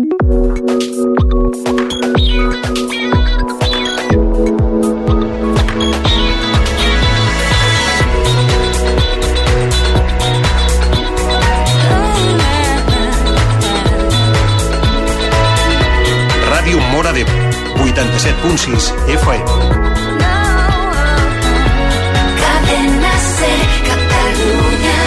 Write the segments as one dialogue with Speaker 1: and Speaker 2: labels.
Speaker 1: Ràdio Móra d'Ebre, 87.6 FM.
Speaker 2: Cadena Ser, Catalunya.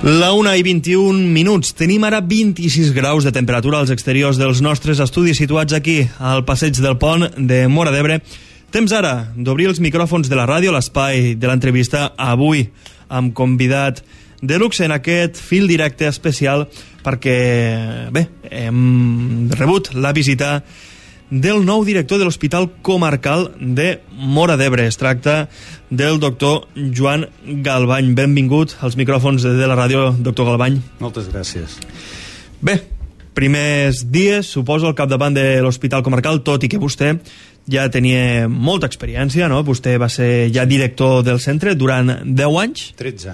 Speaker 3: La 1:21. Tenim ara 26 graus de temperatura als exteriors dels nostres estudis situats aquí, al passeig del Pont de Móra d'Ebre. Temps ara d'obrir els micròfons de la ràdio, l'espai de l'entrevista, avui amb convidat de luxe en aquest fil directe especial perquè, bé, hem rebut la visita del nou director de l'Hospital Comarcal de Móra d'Ebre. Es tracta del doctor Joan Galvany. Benvingut als micròfons de la ràdio, doctor Galvany.
Speaker 4: Moltes gràcies.
Speaker 3: Bé, primers dies, suposo, al capdavant de l'Hospital Comarcal, tot i que vostè ja tenia molta experiència, no? Vostè va ser ja director del centre durant 10 anys? 13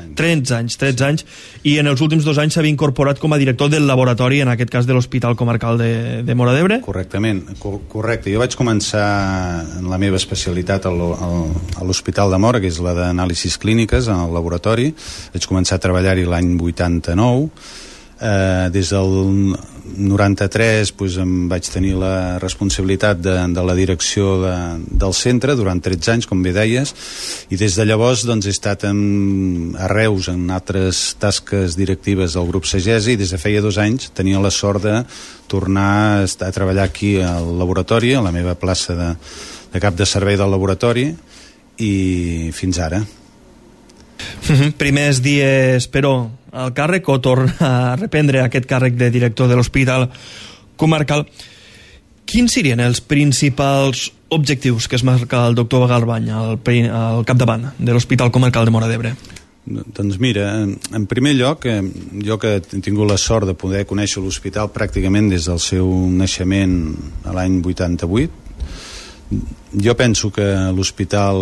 Speaker 3: anys, i en els últims 2 anys s'havia incorporat com a director del laboratori, en aquest cas de l'Hospital Comarcal de Móra d'Ebre?
Speaker 4: Correctament, correcte. Jo vaig començar en la meva especialitat a l'Hospital de Móra, que és la d'anàlisis clíniques, en el laboratori. Vaig començar a treballar-hi l'any 89. Des del 93 doncs, em vaig tenir la responsabilitat de la direcció del centre durant 13 anys, com bé deies, i des de llavors doncs, he estat a Reus en altres tasques directives del grup Sagesa, i des de feia 2 anys tenia la sort de tornar a treballar aquí al laboratori, a la meva plaça de cap de servei del laboratori, i fins ara.
Speaker 3: Primers dies, però, al càrrec, o tornar a reprendre aquest càrrec de director de l'Hospital Comarcal. Quins serien els principals objectius que es marca el doctor Galvany al capdavant de l'Hospital Comarcal de Móra d'Ebre?
Speaker 4: Doncs mira, en primer lloc, jo que he tingut la sort de poder conèixer l'hospital pràcticament des del seu naixement a l'any 88, jo penso que l'hospital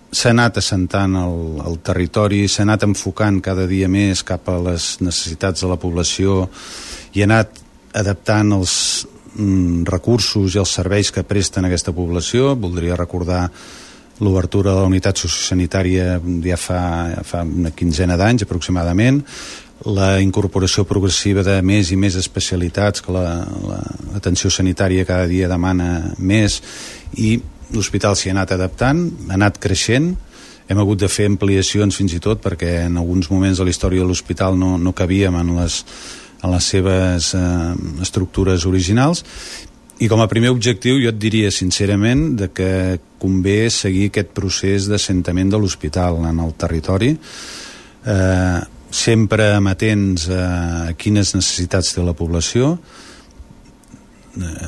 Speaker 4: s'ha anat assentant al territori, s'ha anat enfocant cada dia més cap a les necessitats de la població i ha anat adaptant els recursos i els serveis que presten a aquesta població. Voldria recordar l'obertura de la unitat sociosanitària ja fa una quinzena d'anys aproximadament, la incorporació progressiva de més i més especialitats que l'atenció sanitària cada dia demana més, i l'hospital s'hi ha anat adaptant, ha anat creixent. Hem hagut de fer ampliacions fins i tot perquè en alguns moments de la història de l'hospital no cabíem en les seves estructures originals, i com a primer objectiu jo et diria sincerament de que convé seguir aquest procés d'assentament de l'hospital en el territori, sempre amatents a quines necessitats té la població,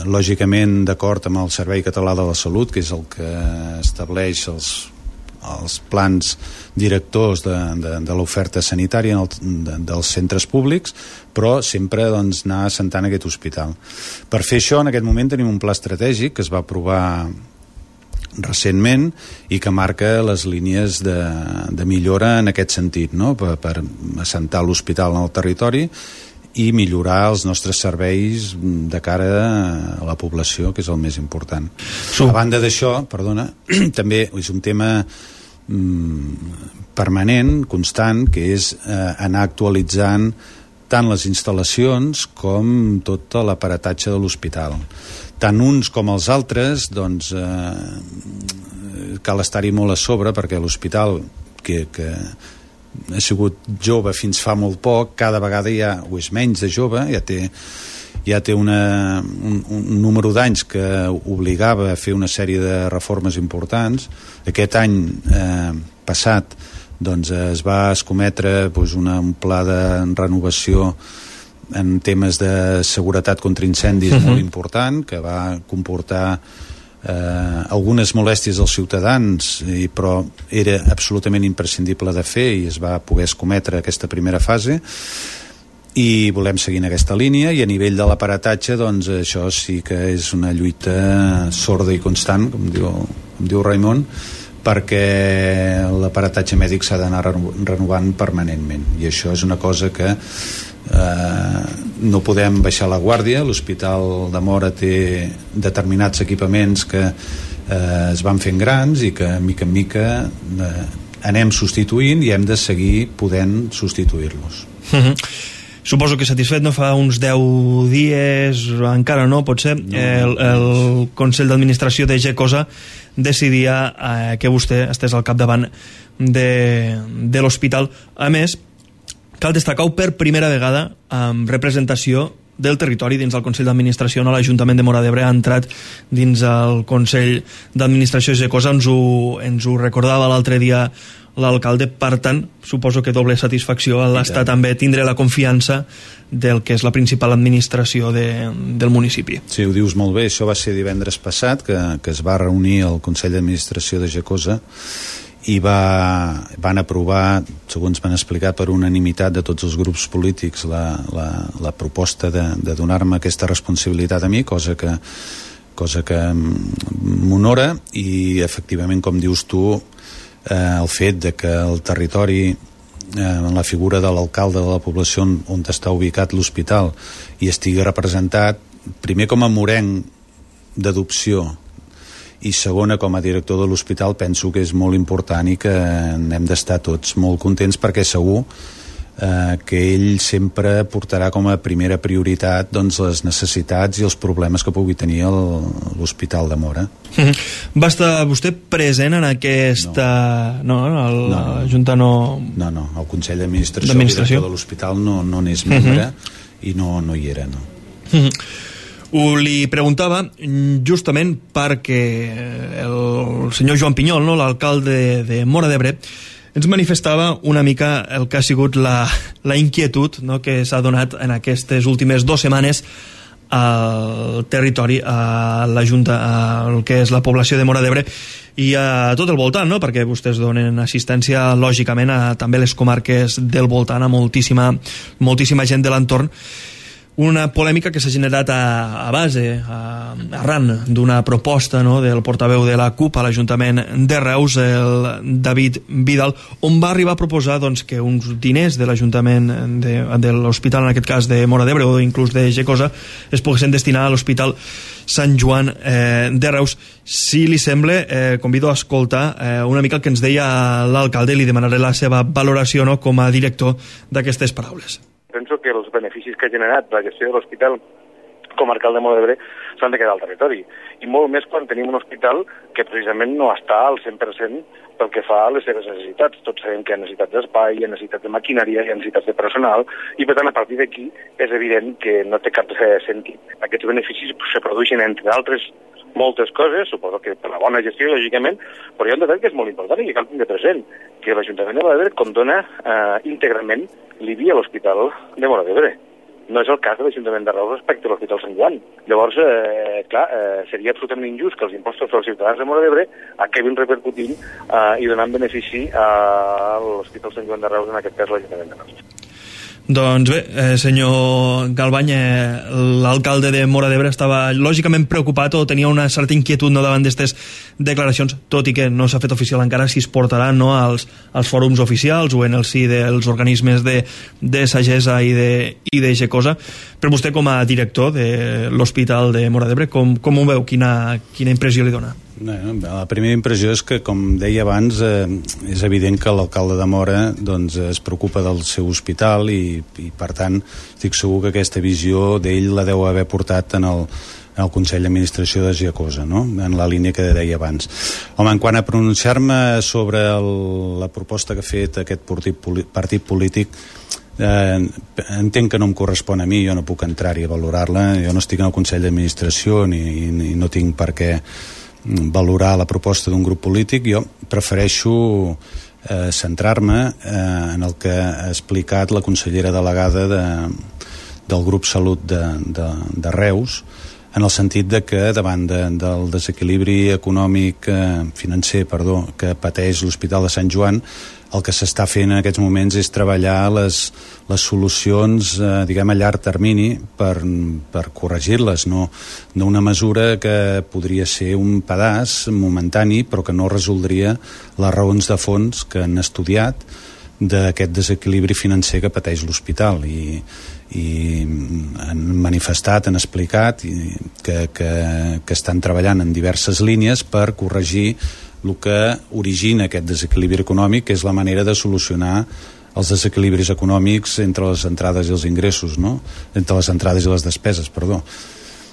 Speaker 4: lògicament d'acord amb el Servei Català de la Salut, que és el que estableix els plans directors de l'oferta sanitària dels centres públics, però sempre doncs, anar assentant aquest hospital. Per fer això, en aquest moment tenim un pla estratègic que es va aprovar recentment i que marca les línies de millora en aquest sentit, no? per assentar l'hospital en el territori i millorar els nostres serveis de cara a la població, que és el més important. A banda d'això, també és un tema permanent, constant, que és anar actualitzant tant les instal·lacions com tot l'aparatatge de l'hospital. Tant uns com els altres, doncs, cal estar-hi molt a sobre, perquè l'hospital, que ha sigut jove fins fa molt poc, cada vegada o és menys de jove, ja té un número d'anys que obligava a fer una sèrie de reformes importants. Aquest any passat doncs, es va escometre un pla de renovació en temes de seguretat contra incendis molt important, que va comportar algunes molèsties als ciutadans, però era absolutament imprescindible de fer i es va poder escometre aquesta primera fase. i volem seguir en aquesta línia, i a nivell de l'aparatatge doncs això sí que és una lluita sorda i constant, com diu Raimon, perquè l'aparatatge mèdic s'ha d'anar renovant permanentment, i això és una cosa que no podem baixar la guàrdia. L'Hospital de Móra té determinats equipaments que es van fent grans i que mica en mica anem substituint, i hem de seguir podent substituir-los.
Speaker 3: Suposo que satisfet, no? Fa uns 10 dies, encara no, potser, el Consell d'Administració de Gecosa decidia que vostè estés al capdavant de l'hospital. A més, cal destacar-ho per primera vegada amb representació del territori dins del Consell d'Administració. No? L'Ajuntament de Móra d'Ebre ha entrat dins el Consell d'Administració de Gecosa, ens ho recordava l'altre dia l'alcalde. Per tant, suposo que doble satisfacció a l'estar també tindre la confiança del que és la principal administració del municipi.
Speaker 4: Sí, ho dius molt bé. Això va ser divendres passat, que es va reunir el Consell d'Administració de Gecosa i van aprovar, segons m'han explicat, per unanimitat de tots els grups polítics la proposta de donar-me aquesta responsabilitat a mi, cosa que m'honora, i efectivament, com dius tu, el fet de que el territori, en la figura de l'alcalde de la població on està ubicat l'hospital, i estigui representat, primer com a morenc d'adopció i segona com a director de l'hospital, penso que és molt important i que hem d'estar tots molt contents, perquè segur que ell sempre portarà com a primera prioritat doncs, les necessitats i els problemes que pugui tenir l'Hospital de Móra.
Speaker 3: Va estar vostè present en aquesta... No, la Junta no...
Speaker 4: No, el Consell d'Administració, el director de l'hospital no n'és membre i no hi era, no.
Speaker 3: Li preguntava justament perquè el senyor Joan Pinyol, no, l'alcalde de Móra d'Ebre, ens manifestava una mica el que ha sigut la inquietud, no, que s'ha donat en aquestes últimes 2 setmanes al territori, a la Junta, al que és la població de Móra d'Ebre i a tot el voltant, no? Perquè vostès donen assistència lògicament a també les comarques del voltant, a moltíssima gent de l'entorn. Una polèmica que s'ha generat a base, arran d'una proposta, no, del portaveu de la CUP a l'Ajuntament de Reus, el David Vidal, on va arribar a proposar doncs, que uns diners de l'Ajuntament de l'Hospital, en aquest cas de Móra d'Ebre o inclús de Gecosa, es poguessin destinar a l'Hospital Sant Joan de Reus. Si li sembla, convido a escoltar una mica el que ens deia l'alcalde, i li demanaré la seva valoració, no, com a director d'aquestes paraules.
Speaker 5: Penso que els beneficis que ha generat la gestió de l'hospital comarcal de Móra d'Ebre s'han de quedar al territori. I molt més quan tenim un hospital que precisament no està al 100% pel que fa a les seves necessitats. Tots sabem que hi ha necessitats d'espai, hi ha necessitats de maquinària, hi ha necessitats de personal, i per tant a partir d'aquí és evident que no té cap sentit. Aquests beneficis se produeixen, entre altres moltes coses, suposo que per la bona gestió, lògicament, però hi ha un detall que és molt important i que cal tindre present, que l'Ajuntament de Móra d'Ebre condona íntegrament l'IBI a l'Hospital de Móra d'Ebre. No és el cas de l'Ajuntament de Reus respecte a l'Hospital Sant Joan. Llavors, seria absolutament injust que els impostos dels ciutadans de Móra d'Ebre acabin repercutint i donant benefici a l'Hospital Sant Joan de Reus, en aquest cas l'Ajuntament de Reus.
Speaker 3: Doncs bé, senyor Galbany, l'alcalde de Móra d'Ebre estava lògicament preocupat o tenia una certa inquietud, no, davant d'aquestes declaracions, tot i que no s'ha fet oficial encara si es portaran, no, als fòrums oficials o en el si dels organismes de Sagesa i de Gecosa. Però vostè, com a director de l'Hospital de Móra d'Ebre, com ho veu? Quina impressió li dona?
Speaker 4: La primera impressió és que, com deia abans, és evident que l'alcalde de Móra doncs, es preocupa del seu hospital i per tant estic segur que aquesta visió d'ell la deu haver portat en el Consell d'Administració de Gecosa, no? En la línia que deia abans. Home, en quant a pronunciar-me sobre la proposta que ha fet aquest partit polític, entenc que no em correspon a mi, jo no puc entrar-hi a valorar-la, jo no estic en el Consell d'Administració ni no tinc per què valorar la proposta d'un grup polític. Jo prefereixo centrar-me en el que ha explicat la consellera delegada del grup Salut de Reus, en el sentit de que davant del desequilibri econòmic financer que pateix l'Hospital de Sant Joan, el que s'està fent en aquests moments és treballar les solucions diguem a llarg termini per corregir-les, no una mesura que podria ser un pedaç momentani però que no resoldria les raons de fons que han estudiat d'aquest desequilibri financer que pateix l'hospital i han manifestat, han explicat que estan treballant en diverses línies per corregir el que origina aquest desequilibri econòmic, que és la manera de solucionar els desequilibris econòmics entre les entrades i els ingressos, no? Entre les entrades i les despeses, perdó.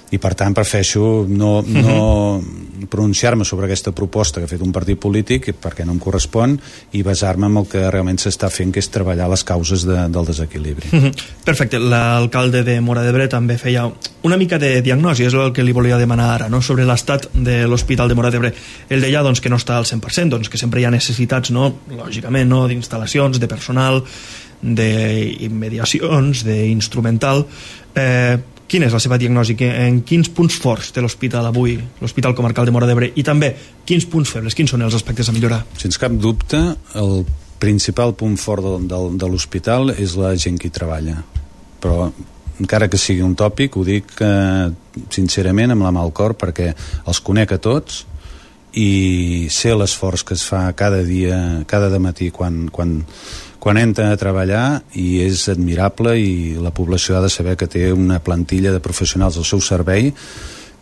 Speaker 4: I per tant prefereixo no pronunciar-me sobre aquesta proposta que ha fet un partit polític perquè no em correspon i basar-me en el que realment s'està fent, que és treballar les causes del desequilibri.
Speaker 3: Perfecte. L'alcalde de Móra d'Ebre també feia una mica de diagnosi, és el que li volia demanar ara, no? Sobre l'estat de l'Hospital de Móra d'Ebre. Ell deia doncs, que no està al 100%, doncs, que sempre hi ha necessitats, no? Lògicament, no? D'instal·lacions, de personal, d'immediacions, d'instrumental. Quina és la seva diagnosi? En quins punts forts té l'hospital avui, l'Hospital Comarcal de Móra d'Ebre? I també, quins punts febles, quins són els aspectes a millorar?
Speaker 4: Sense cap dubte, el principal punt fort de l'hospital és la gent que hi treballa. Però, encara que sigui un tòpic, ho dic sincerament amb la mà al cor, perquè els conec a tots i sé l'esforç que es fa cada dia, cada dematí quan entra a treballar, i és admirable, i la població ha de saber que té una plantilla de professionals al seu servei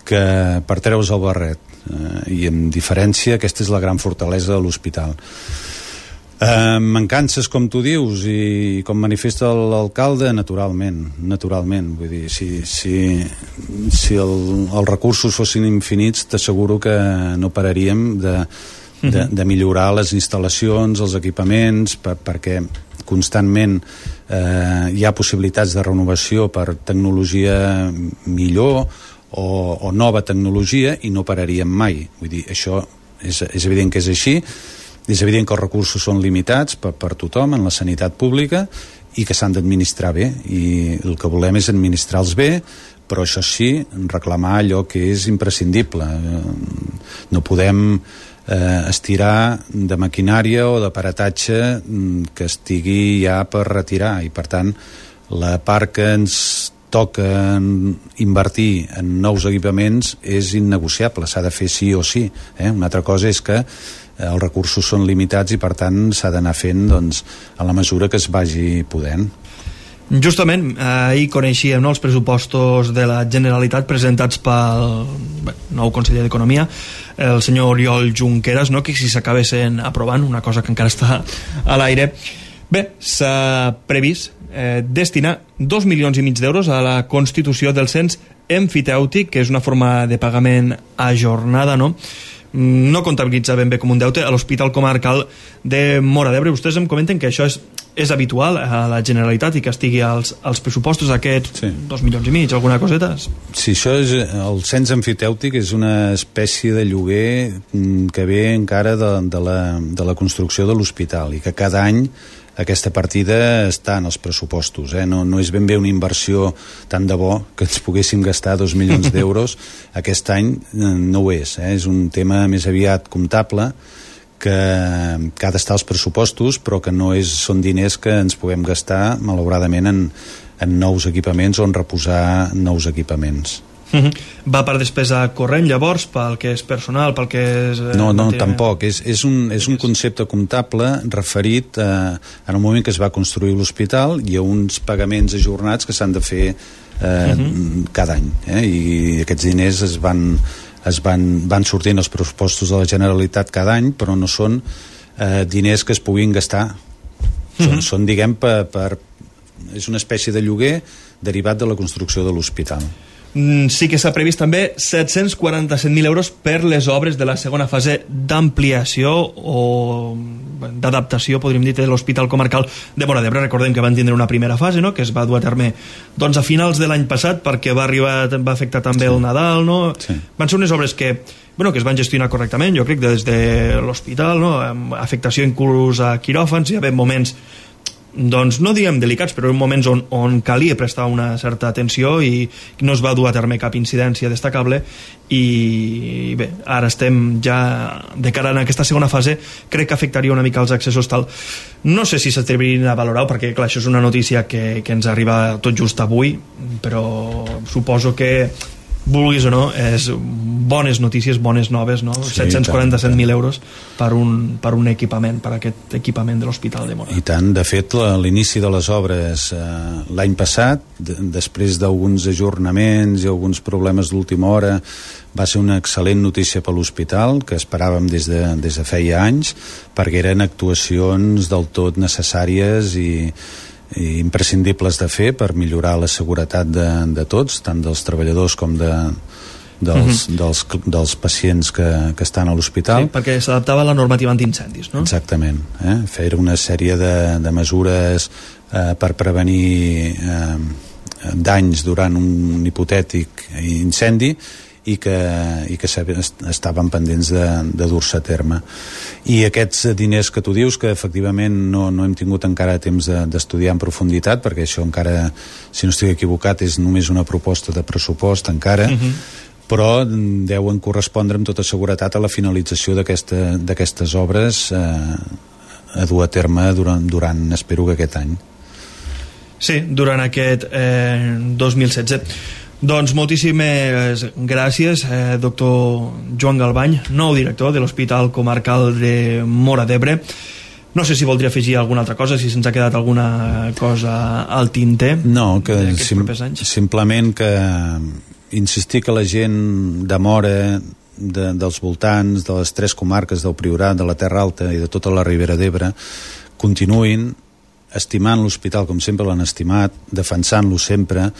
Speaker 4: que per treure's el barret, i en diferència aquesta és la gran fortalesa de l'hospital. Mancances, com tu dius, i com manifesta l'alcalde, naturalment, vull dir, si els recursos fossin infinits, t'asseguro que no pararíem de millorar les instal·lacions, els equipaments, perquè constantment hi ha possibilitats de renovació per tecnologia millor o nova tecnologia, i no pararíem mai. Vull dir, això és evident que és així. És evident que els recursos són limitats per tothom en la sanitat pública i que s'han d'administrar bé, i el que volem és administrar-los bé, però això sí, reclamar allò que és imprescindible. No podem estirar de maquinària o d'aparatatge que estigui ja per retirar, i per tant la part que ens toca invertir en nous equipaments és innegociable, s'ha de fer sí o sí. Una altra cosa és que els recursos són limitats i per tant s'ha d'anar fent a la mesura que es vagi podent.
Speaker 3: Justament, ahir coneixíem els pressupostos de la Generalitat presentats pel nou conseller d'Economia, el senyor Oriol Junqueras, que si s'acabessin aprovant, una cosa que encara està a l'aire. Bé, s'ha previst destinar 2,5 milions d'euros a la constitució del cens emfitèutic, que és una forma de pagament ajornada, no comptabilitza ben bé com un deute a l'Hospital Comarcal de Móra d'Ebre. Vostès em comenten que això és habitual a la Generalitat i que estigui als pressupostos aquests 2,5 milions, alguna coseta?
Speaker 4: Sí, això és, el cens emfitèutic és una espècie de lloguer que ve encara de la construcció de l'hospital, i que cada any aquesta partida està en els pressupostos. No és ben bé una inversió tant de bo que ens poguéssim gastar 2 milions d'euros. Aquest any no ho és. És un tema més aviat comptable que ha d'estar als pressupostos, però que no són diners que ens puguem gastar, malauradament, en nous equipaments o en reposar nous equipaments.
Speaker 3: Va per despesa corrent, llavors, pel que és personal, pel que és...
Speaker 4: No, tampoc. És un concepte comptable referit en el moment que es va construir l'hospital. Hi ha uns pagaments ajornats que s'han de fer cada any, i aquests diners van sortint als pressupostos de la Generalitat cada any, però no són diners que es puguin gastar. Són, diguem, és una espècie de lloguer derivat de la construcció de l'hospital.
Speaker 3: Sí que s'ha previst també 747.000 euros per les obres de la segona fase d'ampliació o d'adaptació, podríem dir, de l'Hospital Comarcal de Móra d'Ebre. Recordem que van tindre una primera fase, que es va dur a terme a finals de l'any passat, perquè va afectar també el Nadal,
Speaker 4: Sí.
Speaker 3: Van ser unes obres que es van gestionar correctament, jo crec, des de l'hospital, amb afectació inclús a quiròfans. Hi havia moments doncs no diguem delicats, però en moments on calia prestar una certa atenció i no es va dur a terme cap incidència destacable. I bé, ara estem ja de cara en aquesta segona fase. Crec que afectaria una mica els accessos tal. No sé si s'atrevirien a valorar-ho, perquè clar, això és una notícia que ens arriba tot just avui, però suposo que vulguis o no, és bones notícies, bones noves, no? Sí, 747.000 euros per un equipament, per aquest equipament de l'Hospital de Móra.
Speaker 4: I tant, de fet, l'inici de les obres l'any passat, després d'alguns ajornaments i alguns problemes d'última hora, va ser una excel·lent notícia per l'hospital, que esperàvem des de feia anys, perquè eren actuacions del tot necessàries i imprescindibles de fer per millorar la seguretat de tots, tant dels treballadors com dels pacients que estan a l'hospital.
Speaker 3: Sí, perquè s'adaptava a la normativa antiincendis, no?
Speaker 4: Exactament. Fer una sèrie de mesures per prevenir danys durant un hipotètic incendi i que estaven pendents de dur-se a terme. I aquests diners que tu dius, que efectivament no hem tingut encara temps d'estudiar en profunditat, perquè això encara, si no estic equivocat, és només una proposta de pressupost encara, però deuen correspondre amb tota seguretat a la finalització d'aquestes obres a dur a terme durant espero que aquest any.
Speaker 3: Sí, durant aquest 2016. Doncs moltíssimes gràcies, doctor Joan Galbany, nou director de l'Hospital Comarcal de Móra d'Ebre. No sé si voldria afegir alguna altra cosa, si se'ns ha quedat alguna cosa al tinter.
Speaker 4: No, que simplement que insistir que la gent de Móra, dels voltants, de les 3 comarques del Priorat, de la Terra Alta i de tota la Ribera d'Ebre, continuïn estimant l'hospital com sempre l'han estimat, defensant-lo sempre,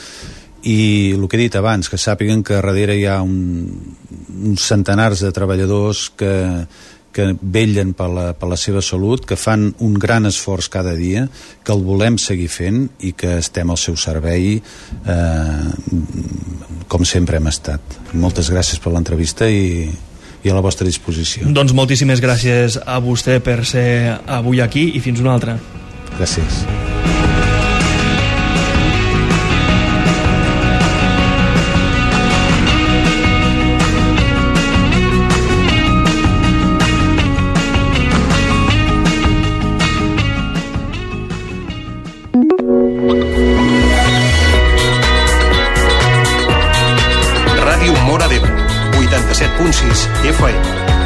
Speaker 4: i el que he dit abans, que sàpiguen que darrere hi ha uns centenars de treballadors que vetllen per la seva salut, que fan un gran esforç cada dia, que el volem seguir fent i que estem al seu servei com sempre hem estat. Moltes gràcies per l'entrevista i a la vostra disposició.
Speaker 3: Doncs moltíssimes gràcies a vostè per ser avui aquí i fins una altra.
Speaker 4: Gràcies.
Speaker 1: Ràdio Móra d'Ebre, 87.6 FM.